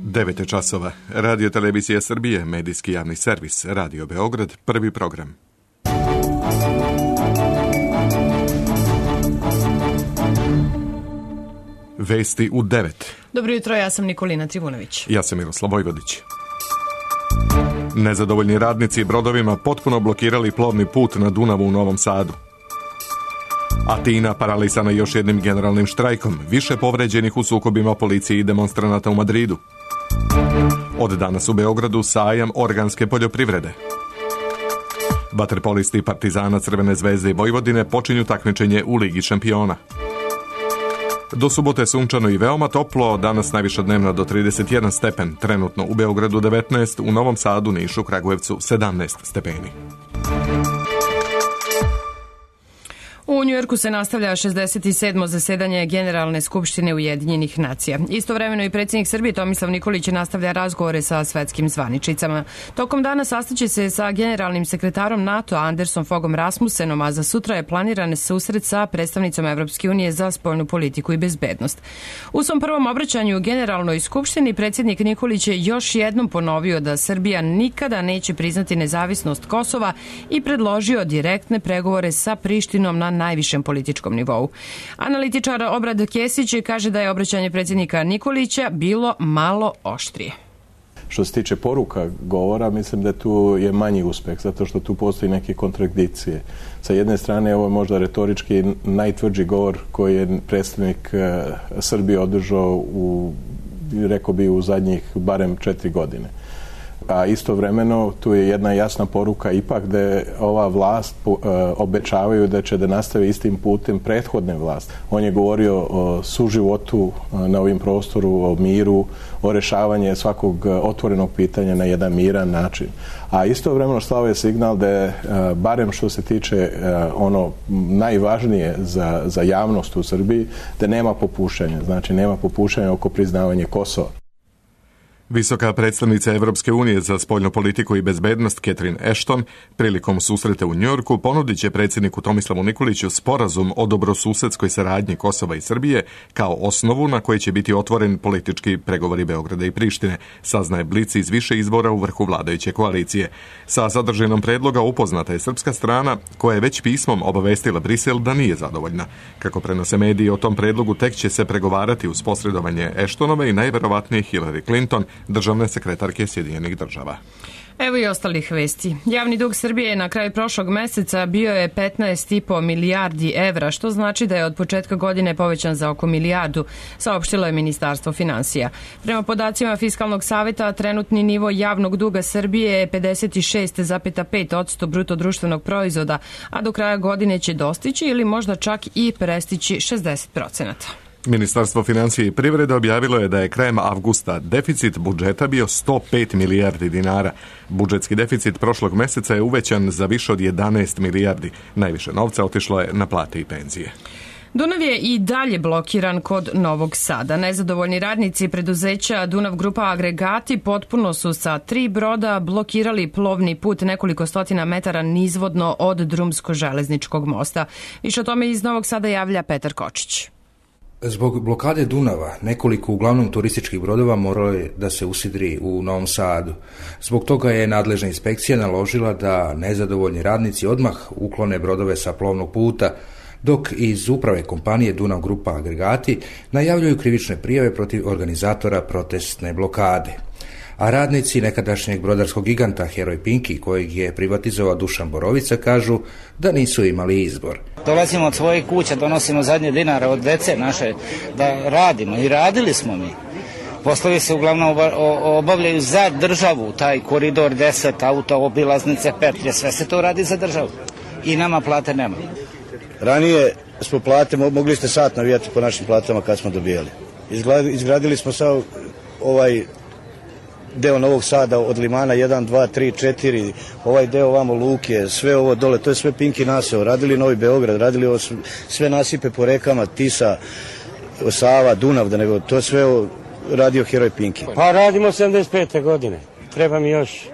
9 časova. Radio Televizija Srbije, medijski javni servis, Radio Beograd, prvi program. Vesti u 9. Dobro jutro, ja sam Nikolina Trivunović. Ja sam Miroslav Vojvodić. Nezadovoljni radnici brodovima potpuno blokirali plovni put na Dunavu u Novom Sadu. Atina paralisana još jednim generalnim štrajkom, više povređenih u sukobima policije i demonstranata u Madridu. Od danas u Beogradu sajam organske poljoprivrede. Vaterpolisti Partizana, Crvene zvezde i Vojvodine počinju takmičenje u Ligi šampiona. Do subote sunčano i veoma toplo, danas najviša dnevna do 31 stepen, trenutno u Beogradu 19, u Novom Sadu, Nišu, Kragujevcu 17 stepeni. U Njujorku se nastavlja 67. zasedanje Generalne skupštine Ujedinjenih nacija. Istovremeno i predsjednik Srbije Tomislav Nikolić nastavlja razgovore sa svetskim zvaničicama. Tokom dana sastaće se sa generalnim sekretarom NATO Andersom Fogom Rasmussenom, a za sutra je planiran susret sa predstavnicom Evropske unije za spoljnu politiku i bezbednost. U svom prvom obraćanju Generalnoj skupštini predsjednik Nikolić je još jednom ponovio da Srbija nikada neće priznati nezavisnost Kosova i predložio direktne pregovore sa Prištinom na najvišem političkom nivou. Analitičar Obrad Kesić kaže da je obraćanje predsjednika Nikolića bilo malo oštrije. Što se tiče poruka govora, mislim da tu je manji uspeh, zato što tu postoji neke kontradikcije. Sa jedne strane, ovo je možda retorički najtvrđi govor koji je predstavnik Srbije održao rekao bi u zadnjih barem 4 godine. A istovremeno tu je jedna jasna poruka ipak da ova vlast obećavaju da će da nastavi istim putem prethodne vlasti. On je govorio o suživotu na ovim prostoru, o miru, o rešavanju svakog otvorenog pitanja na jedan miran način. A istovremeno slao je signal da je, barem što se tiče ono najvažnije za javnost u Srbiji, da nema popuštanja. Znači nema popuštanja oko priznavanja Kosova. Visoka predstavnica Evropske unije za spoljnu politiku i bezbednost Catherine Ashton prilikom susreta u Njujorku ponudit će predsjedniku Tomislavu Nikoliću sporazum o dobrosusedskoj saradnji Kosova i Srbije kao osnovu na kojoj će biti otvoren politički pregovori Beograda i Prištine, saznaje Blic iz više izvora u vrhu vladajuće koalicije. Sa sadržinom predloga upoznata je srpska strana koja je već pismom obavestila Brisel da nije zadovoljna. Kako prenose mediji, o tom predlogu tek će se pregovarati uz posredovanje Ashtonove i najverovatnije Hillary Clinton, državne sekretarke Sjedinjenih država. Evo i ostalih vesti. Javni dug Srbije na kraju prošlog meseca bio je 15,5 milijardi evra, što znači da je od početka godine povećan za oko milijardu, saopštilo je Ministarstvo finansija. Prema podacima Fiskalnog saveta, trenutni nivo javnog duga Srbije je 56,5% bruto društvenog proizvoda, a do kraja godine će dostići ili možda čak i prestići 60%. Ministarstvo financija i privrede objavilo je da je krajem avgusta deficit budžeta bio 105 milijardi dinara. Budžetski deficit prošlog meseca je uvećan za više od 11 milijardi. Najviše novca otišlo je na plate i penzije. Dunav je i dalje blokiran kod Novog Sada. Nezadovoljni radnici preduzeća Dunav Grupa Agregati potpuno su sa 3 broda blokirali plovni put nekoliko stotina metara nizvodno od drumsko-železničkog mosta. Više o tome iz Novog Sada javlja Petar Kočić. Zbog blokade Dunava, nekoliko uglavnom turističkih brodova moralo je da se usidri u Novom Sadu. Zbog toga je nadležna inspekcija naložila da nezadovoljni radnici odmah uklone brodove sa plovnog puta, dok iz uprave kompanije Dunav Grupa Agregati najavljuju krivične prijave protiv organizatora protestne blokade. A radnici nekadašnjeg brodarskog giganta Heroj Pinki, kojeg je privatizovao Dušan Borovica, kažu da nisu imali izbor. Dolazimo od svojih kuća, donosimo zadnje dinare od dece naše da radimo i radili smo mi. Poslovi se uglavnom obavljaju za državu, taj koridor 10, auto, obilaznice, petlje, sve se to radi za državu. I nama plate nema. Ranije smo plate, mogli ste sat navijati po našim platama kad smo dobijali. Izgradili smo sad ovaj deo Novog Sada od Limana 1, 2, 3, 4, ovaj deo ovamo Luke, sve ovo dole, to je sve Pinki naseo. Radili Novi Beograd, radili ovo sve nasipe po rekama, Tisa, Sava, Dunav, da nego to sve radio Heroj Pinki. Pa radimo 75. godine, treba mi još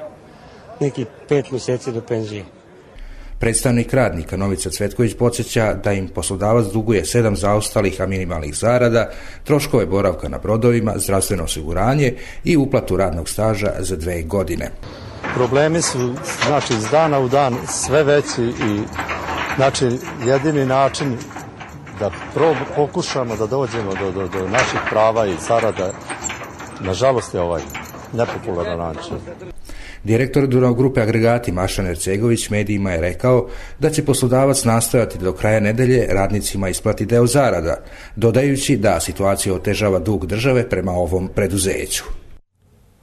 neki 5 mjeseci do penzije. Predstavnik radnika Novica Cvetković podsjeća da im poslodavac duguje 7 zaostalih, a minimalnih zarada, troškove boravka na brodovima, zdravstveno osiguranje i uplatu radnog staža za 2 godine. Problemi su, znači, iz dana u dan sve veći i, znači, jedini način da pokušamo da dođemo do naših prava i zarada, nažalost je ovaj nepopularan način. Direktor Dunav grupe Agregati Mašan Ercegović medijima je rekao da će poslodavac nastojati do kraja nedelje radnicima isplati deo zarada, dodajući da situacija otežava dug države prema ovom preduzeću.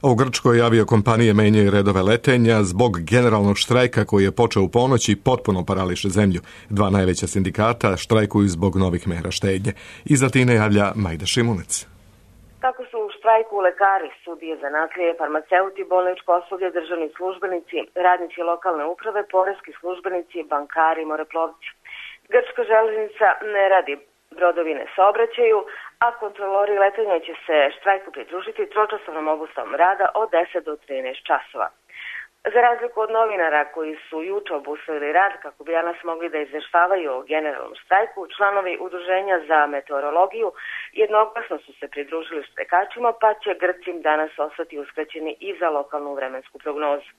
U Grčkoj aviokompanije menjaju redove letenja zbog generalnog štrajka koji je počeo u ponoć i potpuno parališe zemlju. 2 najveća sindikata štrajkuju zbog novih mera štednje. Iz Atine javlja Majda Šimunec. Tako su u štrajku lekari, sudije, zanatlije, farmaceuti, bolničko osoblje, državni službenici, radnici lokalne uprave, poreski službenici, bankari, moreplovci. Grčka železnica ne radi, brodovi ne saobraćaju, a kontrolori letenja će se štrajku pridružiti tročasovnom obustavom rada od 10 do 13 časova. Za razliku od novinara koji su juče obustavili rad kako bi danas mogli da izveštavaju o generalnom štrajku, članovi Udruženja za meteorologiju jednoglasno su se pridružili štrajkačima, pa će Grci danas ostati uskraćeni i za lokalnu vremensku prognozu.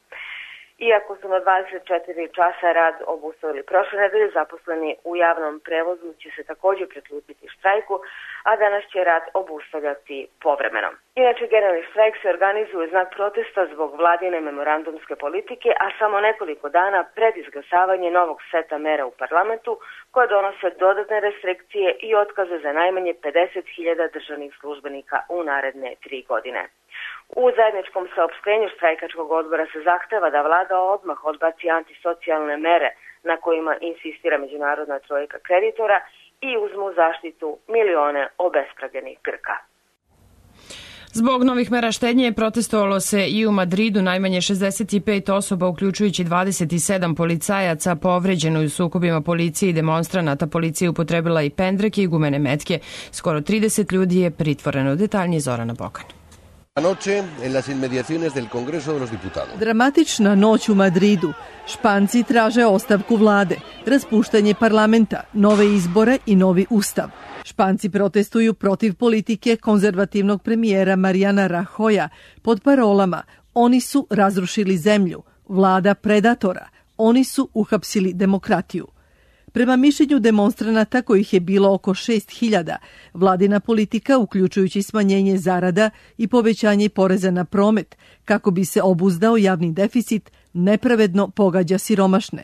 Iako su na 24 časa rad obustavili prošle nedelje, zaposleni u javnom prevozu će se također priključiti štrajku, a danas će rad obustavljati povremeno. Inače, generalni štrajk se organizuje znak protesta zbog vladine memorandumske politike, a samo nekoliko dana pred izglasavanje novog seta mera u parlamentu koje donose dodatne restrikcije i otkaze za najmanje 50.000 državnih službenika u naredne 3 godine. U zajedničkom saopštenju štrajkačkog odbora se zahteva da vlada odmah odbaci antisocijalne mere na kojima insistira međunarodna trojka kreditora i uzmu zaštitu milione obespravljenih Grka. Zbog novih mera štednje protestovalo se i u Madridu. Najmanje 65 osoba, uključujući 27 policajaca, povređeno u sukobima policije i demonstranata. Policija upotrebila i pendreke i gumene metke. Skoro 30 ljudi je pritvoreno. Detaljnije Zorana Bokan. Dramatična noć u Madridu. Španci traže ostavku vlade, raspuštanje parlamenta, nove izbore i novi ustav. Španci protestuju protiv politike konzervativnog premijera Mariana Rajoya pod parolama "Oni su razrušili zemlju, vlada predatora, oni su uhapsili demokratiju". Prema mišljenju demonstranata, kojih je bilo oko 6.000, vladina politika, uključujući smanjenje zarada i povećanje poreza na promet, kako bi se obuzdao javni deficit, nepravedno pogađa siromašne.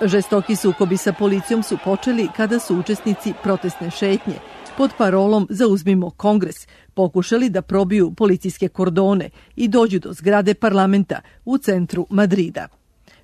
Žestoki sukobi sa policijom su počeli kada su učesnici protestne šetnje pod parolom "Zauzmimo Kongres" pokušali da probiju policijske kordone i dođu do zgrade parlamenta u centru Madrida.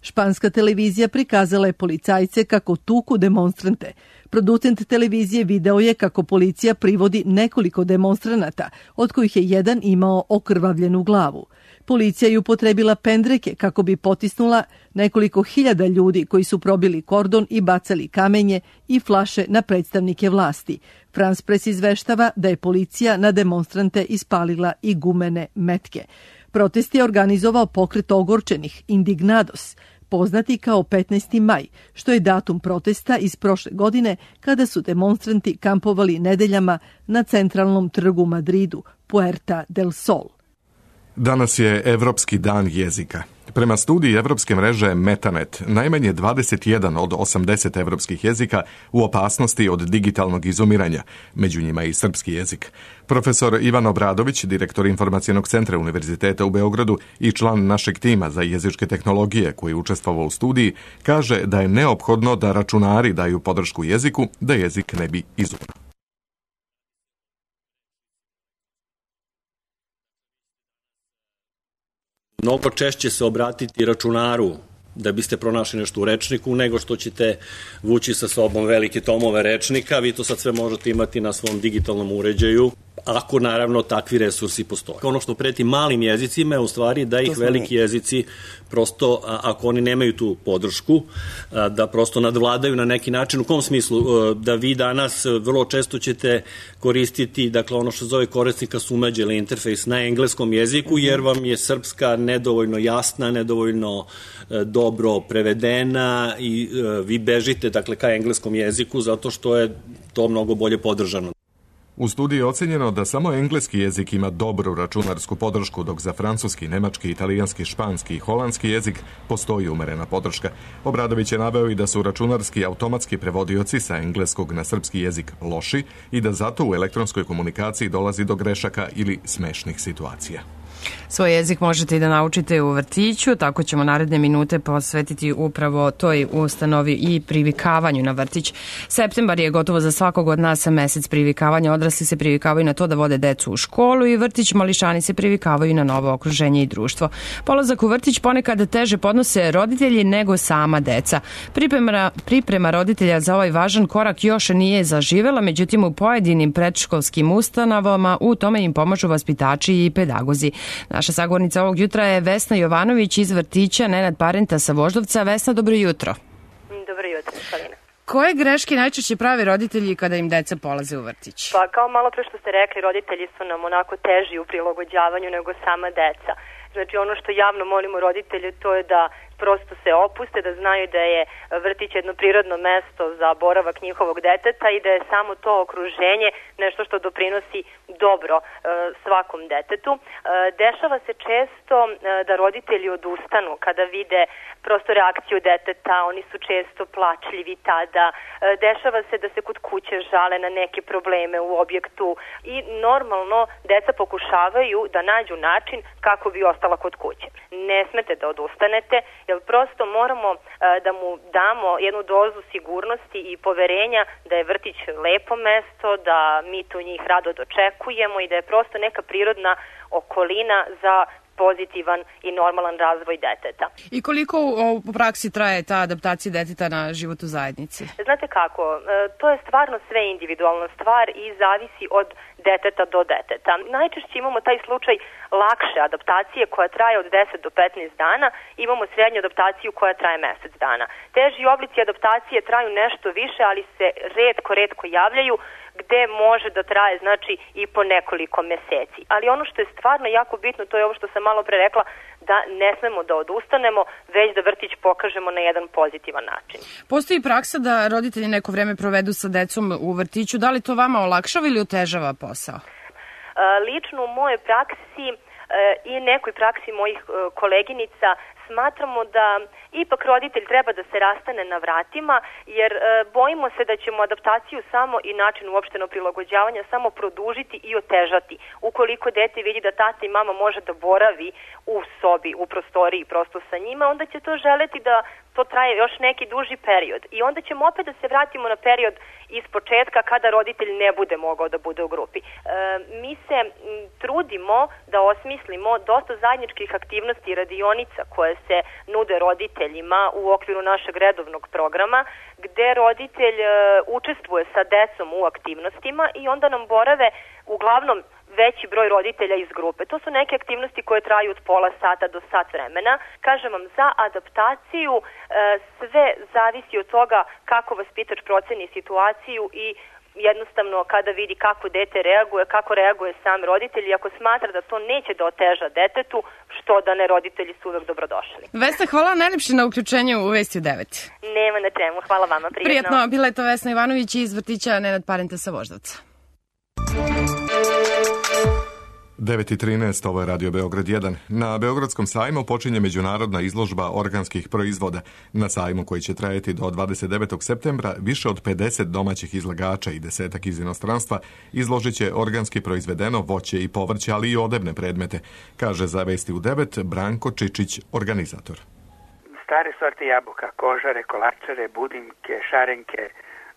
Španska televizija prikazala je policajce kako tuku demonstrante. Producent televizije video je kako policija privodi nekoliko demonstranata, od kojih je jedan imao okrvavljenu glavu. Policija je upotrebila pendreke kako bi potisnula nekoliko hiljada ljudi koji su probili kordon i bacali kamenje i flaše na predstavnike vlasti. France Press izveštava da je policija na demonstrante ispalila i gumene metke. Protest je organizovao pokret ogorčenih Indignados, poznati kao 15. maj, što je datum protesta iz prošle godine kada su demonstranti kampovali nedeljama na centralnom trgu Madridu, Puerta del Sol. Danas je Evropski dan jezika. Prema studiji evropske mreže Metanet, najmanje 21 od 80 evropskih jezika u opasnosti od digitalnog izumiranja, među njima i srpski jezik. Profesor Ivan Obradović, direktor Informacionog centra Univerziteta u Beogradu i član našeg tima za jezičke tehnologije koji je učestvovao u studiji, kaže da je neophodno da računari daju podršku jeziku da jezik ne bi izumirao. Mnogo češće se obratiti računaru da biste pronašli nešto u rečniku nego što ćete vući sa sobom velike tomove rečnika. Vi to sad sve možete imati na svom digitalnom uređaju. ako naravno takvi resursi postoje. Ono što preti malim jezicima je u stvari da ih veliki jezici prosto, ako oni nemaju tu podršku, da prosto nadvladaju na neki način. U kom smislu? Da vi danas vrlo često ćete koristiti, dakle, ono što zove korisnika sumeđe ili interfejs na engleskom jeziku, jer vam je srpska nedovoljno jasna, nedovoljno dobro prevedena i vi bežite, dakle, ka engleskom jeziku zato što je to mnogo bolje podržano. U studiji je ocenjeno da samo engleski jezik ima dobru računarsku podršku, dok za francuski, nemački, italijanski, španski i holandski jezik postoji umerena podrška. Obradović je naveo i da su računarski automatski prevodioci sa engleskog na srpski jezik loši i da zato u elektronskoj komunikaciji dolazi do grešaka ili smešnih situacija. Svoj jezik možete i da naučite u vrtiću, tako ćemo naredne minute posvetiti upravo toj ustanovi i privikavanju na vrtić. Septembar je gotovo za svakog od nas mesec privikavanja. Odrasli se privikavaju na to da vode decu u školu i vrtić, mališani se privikavaju na novo okruženje i društvo. Polazak u vrtić ponekad teže podnose roditelji nego sama deca. Priprema roditelja za ovaj važan korak još nije zaživela, međutim u pojedinim predškolskim ustanovama u tome im pomažu vaspitači i pedagozi. Naša sagovornica ovog jutra je Vesna Jovanović iz vrtića Nenad Parenta sa Voždovca. Vesna, dobro jutro. Dobro jutro, Salina. Koje greške najčešće prave roditelji kada im deca polaze u vrtić? Pa kao malo pre što ste rekli, roditelji su nam onako teži u prilagođavanju nego sama deca. Znači ono što javno molimo roditelje to je da prosto se opuste, da znaju da je vrtić jedno prirodno mesto za boravak njihovog deteta i da je samo to okruženje nešto što doprinosi dobro svakom detetu. Dešava se često da roditelji odustanu kada vide prosto reakciju deteta, oni su često plačljivi tada, dešava se da se kod kuće žale na neke probleme u objektu i normalno deca pokušavaju da nađu način kako bi ostala kod kuće. Ne smete da odustanete, jer prosto moramo da mu damo jednu dozu sigurnosti i poverenja da je vrtić lepo mesto, da mi tu njih rado dočekujemo i da je prosto neka prirodna okolina za pozitivan i normalan razvoj deteta. I koliko u praksi traje ta adaptacija deteta na život u zajednici? Znate kako, to je stvarno sve individualna stvar i zavisi od deteta do deteta. Najčešće imamo taj slučaj lakše adaptacije koja traje od 10 do 15 dana, imamo srednju adaptaciju koja traje mesec dana. Teži oblici adaptacije traju nešto više, ali se retko javljaju, gde može da traje znači i po nekoliko meseci. Ali ono što je stvarno jako bitno, to je ovo što sam malo pre rekla, da ne smemo da odustanemo, već da vrtić pokažemo na jedan pozitivan način. Postoji praksa da roditelji neko vreme provedu sa decom u vrtiću. Da li to vama olakšava ili otežava posao? Lično u mojoj praksi i nekoj praksi mojih koleginica smatramo da ipak roditelj treba da se rastane na vratima, jer bojimo se da ćemo adaptaciju samo i način uopšteno prilagođavanja samo produžiti i otežati. Ukoliko dete vidi da tata i mama može da boravi u sobi, u prostoriji prosto sa njima, onda će to želeti da to traje još neki duži period. I onda ćemo opet da se vratimo na period iz početka kada roditelj ne bude mogao da bude u grupi. Mi se trudimo da osmislimo dosta zajedničkih aktivnosti i radionica koje se nude roditeljima u okviru našeg redovnog programa, gde roditelj učestvuje sa decom u aktivnostima i onda nam borave uglavnom veći broj roditelja iz grupe. To su neke aktivnosti koje traju od pola sata do sat vremena. Kažem vam, za adaptaciju sve zavisi od toga kako vaspitač proceni situaciju i jednostavno kada vidi kako dete reaguje, kako reaguje sam roditelj i ako smatra da to neće da oteža detetu, što da ne, roditelji su uvek dobrodošli. Vesna, hvala najlepše na uključenju u Vesti u 9. Nema na čemu, hvala vama, prijetno. Prijetno, bila je to Vesna Ivanović iz vrtića Nenad Parenta sa Voždovca. 9:13, ovo je Radio Beograd 1. Na Beogradskom sajmu počinje međunarodna izložba organskih proizvoda. Na sajmu koji će trajati do 29. septembra više od 50 domaćih izlagača i 10 iz inostranstva izložit će organski proizvedeno voće i povrće, ali i odevne predmete, kaže za Vesti u 9 Branko Čičić, organizator. Stare sorte jabuka, kožare, kolačare, budimke, šarenke,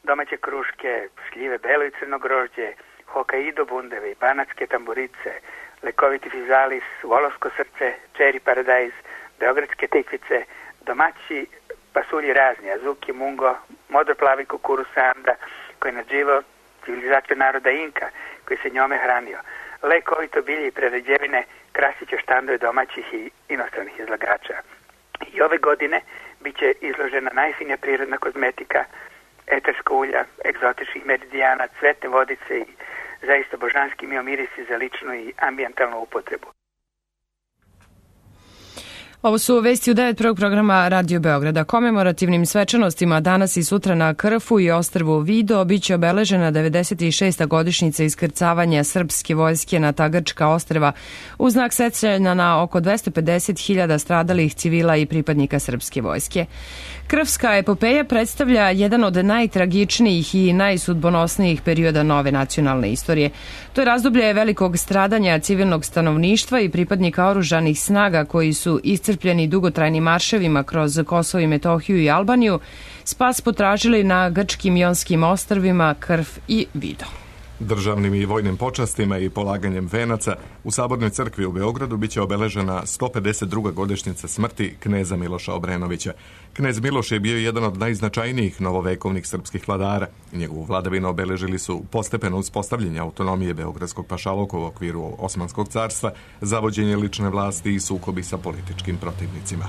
domaće kruške, šljive, belo i crno grožđe, Hokkaido bundeve i banatske tamburice, lekoviti fizalis, volovsko srce, čeri paradajz, beogradske tikvice, domaći pasulji razni, azuki, mungo, modro plavi kukuruz sanda, koji je nadživao civilizaciju naroda Inka, koji se njome hranio. Lekovito bilje i prerađevine krasit će štandove domaćih i inostranih izlagača. I ove godine bit će izložena najfinija prirodna kozmetika, eterska ulja, egzotičnih meridijana, cvetne vodice i zaista božanski miomirisi za ličnu i ambijentalnu upotrebu. Ovo su vesti u 9. prvog programa Radio Beograda. Komemorativnim svečanostima danas i sutra na Krfu i ostrvu Vido biće obeležena 96. godišnjica iskrcavanja srpske vojske na ta grčka ostrva u znak sećanja na oko 250.000 stradalih civila i pripadnika srpske vojske. Krfska epopeja predstavlja jedan od najtragičnijih i najsudbonosnijih perioda nove nacionalne istorije. To je razdoblje velikog stradanja civilnog stanovništva i pripadnika oružanih snaga koji su iscrpljeni dugotrajnim marševima kroz Kosovo i Metohiju i Albaniju, spas potražili na grčkim Ionskim ostrvima Krf i Vido. Državnim i vojnim počastima i polaganjem venaca u Sabornoj crkvi u Beogradu biće obeležena 152. godišnjica smrti kneza Miloša Obrenovića. Knez Miloš je bio jedan od najznačajnijih novovekovnih srpskih vladara. Njegovu vladavinu obeležili su postepeno uspostavljanje autonomije Beogradskog pašaluka u okviru Osmanskog carstva, zavođenje lične vlasti i sukobi sa političkim protivnicima.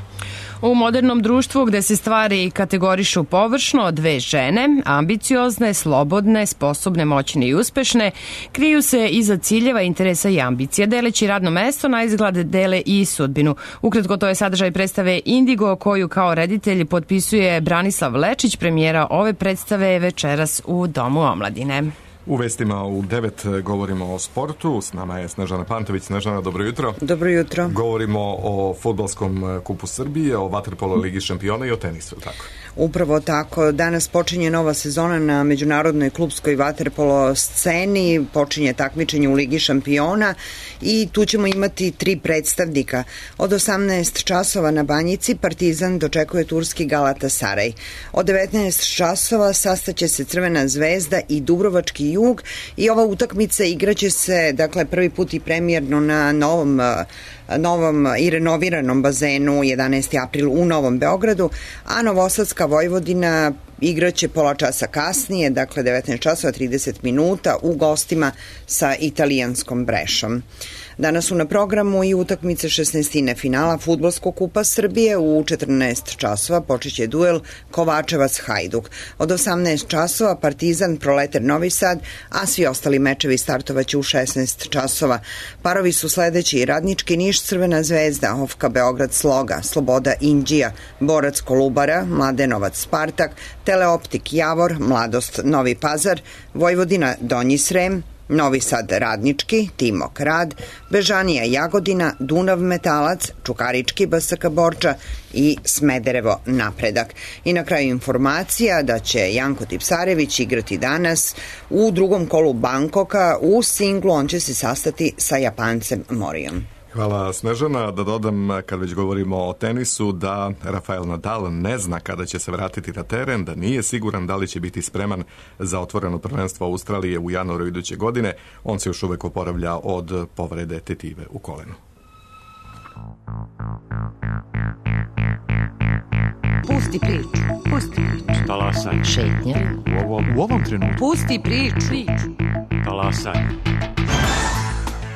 U modernom društvu gde se stvari kategorišu površno, dve žene, ambiciozne, slobodne, sposobne, moćne i uspešne, kriju se iza ciljeva, interesa i ambicija. Deleći radno mesto, na izgled dele i sudbinu. Ukratko, to je sadržaj predstave Indigo, koju kao reditelj potpisuje Branislav Lečić. Premijera ove predstave večeras u Domu omladine. U vestima u 9 govorimo o sportu. S nama je Snežana Pantović. Snežana, dobro jutro. Dobro jutro. Govorimo o fudbalskom kupu Srbije, o vaterpolo ligi šampiona i o tenisu, tako? Upravo tako. Danas počinje nova sezona na međunarodnoj klupskoj vaterpolo sceni, počinje takmičenje u Ligi šampiona i tu ćemo imati 3 predstavnika. Od 18 časova na Banjici Partizan dočekuje turski Galatasaray. Od 19 časova sastaće se Crvena zvezda i Dubrovački Jug i ova utakmica igraće se, dakle, prvi put i premijerno na novom i renoviranom bazenu 11. april u Novom Beogradu, a Novosadska Vojvodina igraće pola časa kasnije, dakle 19 časova 30 minuta u gostima sa italijanskom Brešom. Danas su na programu i utakmice 16. finala fudbalskog kupa Srbije. U 14 časova počeće duel Kovačevac-Hajduk. Od 18 časova Partizan Proleter Novi Sad, a svi ostali mečevi startovaće u 16 časova. Parovi su sledeći: Radnički Niš Crvena zvezda, Ofka Beograd Sloga, Sloboda Inđija, Borac Kolubara, Mladenovac Spartak, Teleoptik Javor, Mladost Novi Pazar, Vojvodina Donji Srem, Novi Sad Radnički, Timok Rad, Bežanija Jagodina, Dunav Metalac, Čukarički BSK Borča i Smederevo Napredak. I na kraju informacija da će Janko Tipsarević igrati danas u drugom kolu Bankoka u singlu. On će se sastati sa Japancem Morijom. Hvala, Snežana. Da dodam, kad već govorimo o tenisu, da Rafael Nadal ne zna kada će se vratiti na teren, da nije siguran da li će biti spreman za otvoreno prvenstvo Australije u januaru iduće godine. On se još uvek oporavlja od povrede tetive u kolenu. Pusti priču. Pusti priču. Talasaj. Šetnja. U ovom trenutku. Pusti priču. Talasaj.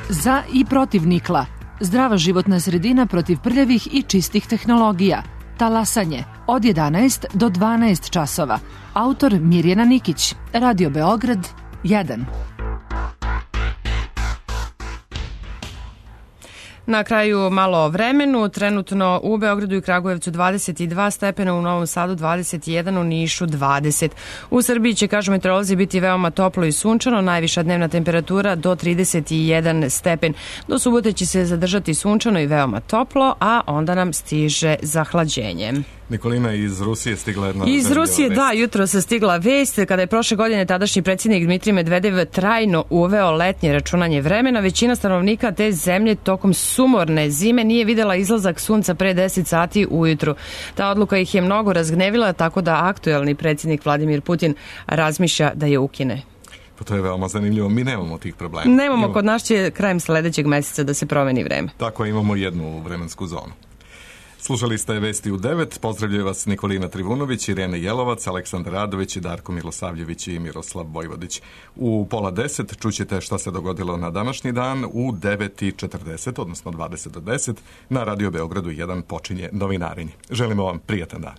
Za i protiv nikla. Zdrava životna sredina protiv prljavih i čistih tehnologija. Talasanje. Od 11 do 12 časova. Autor Mirjana Nikić. Radio Beograd 1. Na kraju malo o vremenu. Trenutno u Beogradu i Kragujevcu 22 stepena, u Novom Sadu 21, u Nišu 20. U Srbiji će, kažu meteorolozi, biti veoma toplo i sunčano, najviša dnevna temperatura do 31 stepen. Do subote će se zadržati sunčano i veoma toplo, a onda nam stiže zahlađenje. Nikolina, iz Rusije stigla jedna... Iz Rusije, da, jutro se stigla vest kada je prošle godine tadašnji predsjednik Dmitrij Medvedev trajno uveo letnje računanje vremena. Većina stanovnika te zemlje tokom sumorne zime nije videla izlazak sunca pre 10 sati ujutru. Ta odluka ih je mnogo razgnevila, tako da aktuelni predsjednik Vladimir Putin razmišlja da je ukine. Pa to je veoma zanimljivo. Mi nemamo tih problema. Nemamo, kod nas će krajem sledećeg meseca da se promeni vreme. Tako, imamo jednu vremensku zonu. Slušali ste Vesti u 9, pozdravljaju vas Nikolina Trivunović, Irena Jelovac, Aleksandar Radović, Darko Milosavljević i Miroslav Vojvodić. U 9:30 čućete šta se dogodilo na današnji dan, u 9:40, odnosno 20 do 10, na Radio Beogradu 1 počinje novinarenje. Želimo vam prijatan dan.